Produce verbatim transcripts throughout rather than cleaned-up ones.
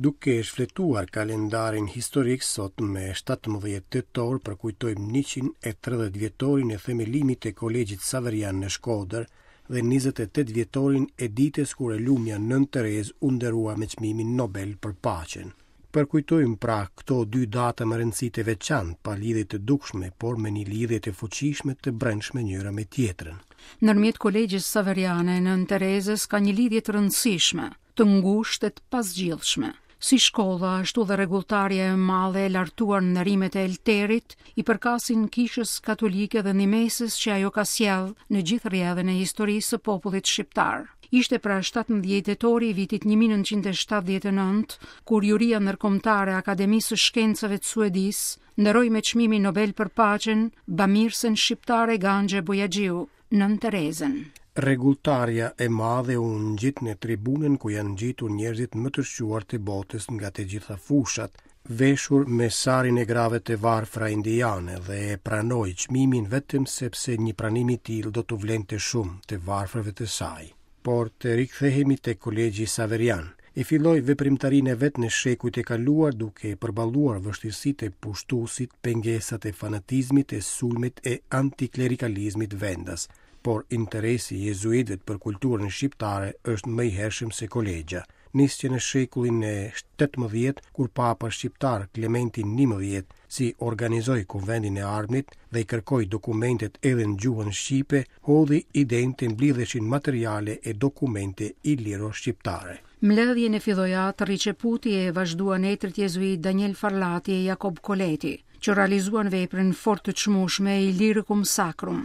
Duke shfletuar kalendarin historik, sot me shtatëmbëdhjetë tetor përkujtojmë njëqind e tridhjetë vjetorin e themelimit të Kolegjit Saverian në Shkodër dhe njëzet e tetë vjetorin e ditës kur e lumja Nënë Terezë u nderua me çmimin Nobel për paqen. Përkujtojmë pra këto dy data me rëndësi të veçantë, pa lidhje të dukshme, por me një lidhje të fuqishme të brendshme njëra me tjetrën. Ndërmjet Kolegjës Saveriane e Nënë Terezës ka një lidhje të rëndësishme, të ngushtë e të pazgjidhshme. Si shkolla, ashtu dhe rregulltarja e madhe e lartuar në nderimet e Elterit, i përkasin kishës katolike dhe ndihmesës që ajo ka sjellë në gjithë rrjedhën e historisë së popullit shqiptar. Ishte pra shtatëmbëdhjetë tetori i vitit një mijë e nëntëqind e shtatëdhjetë e nëntë, kur juria ndërkombëtare e Akademisë së Shkencave të Suedisë nderoi me çmimin Nobel për paqen bamirësen shqiptare Ganxhe Bojaxhiu, Nënë Terezën. Rregulltarja e madhe u ngjit në tribunën ku janë ngjitur njerëzit më të shquar të botës nga të gjitha fushat, veshur me sarin e grave të varfra indiane dhe e pranoi çmimin vetëm sepse një pranim i tillë do t'u vlente shumë të varfërve të saj. Por të rikthehemi te Kolegji Saverian. E filloi veprimtarinë e vet në shekujt e kaluar duke përballuar vështirësitë e pushtuesit, pengesat e fanatizmit e sulmet e antiklerikalizmit vendas. Por interesi i jezuitëve për kulturën shqiptare është më i hershëm se kolegja. Nis që në shekullin e shtatëmbëdhjetë, kur papa shqiptar Klementi njëmbëdhjetë si organizoi kuvendin e Arnit dhe i kërkoi dokumentet edhe në gjuhën shqipe, hodhi idenë të mblidheshin materiale e dokumente iliro-shqiptare. Mbledhjen e filloi atë Rriqeputi e vazhduan etrit jezuit Daniel Farlati e Jakob Koleti, që realizuan veprën fort të çmueshme Illyricum Sacrum,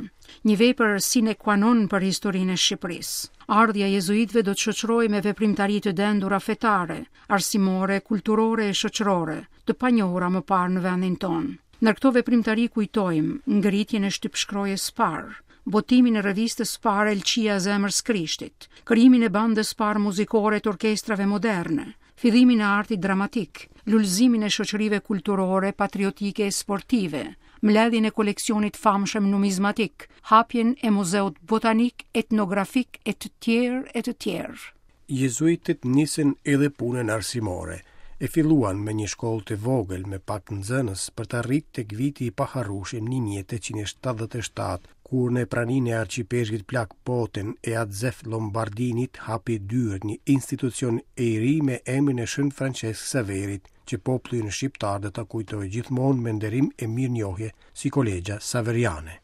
një vepër sine qua non për historinë e Shqipërisë. Ardhja e jezuitëve do të shoqërohej me veprimtari të dendura fetare, arsimore, kulturore e shoqërore, të panjohura më parë në vendin tonë. Ndër këto veprimtari kujtojmë ngritjen e shtypshkrojes parë, botimin e revistës parë Elqia e Zemrës Krishtit, krijimin e bandës parë muzikore të orkestrave moderne, fillimin e artit dramatik, lulëzimin e shoqërive kulturore, patriotike e sportive, mbledhjen e koleksionit famshëm numizmatik, hapjen e muzeut botanik, etnografik e të tjerë e të tjerë. Jezuitët nisën edhe punën arsimore. E filluan me një shkollë të vogël me pak nxënës për të arritur tek viti i paharrueshëm një mijë e tetëqind e shtatëdhjetë e shtatë, kur në praninë e arqipeshkvit Plak Poten e Atzef Lombardinit hapi dyert një institucion i ri me emrin e Shën Francesc Saverit, që populli ynë shqiptar do ta kujtojë gjithmonë me nderim e mirënjohje si Kolegja Saveriane.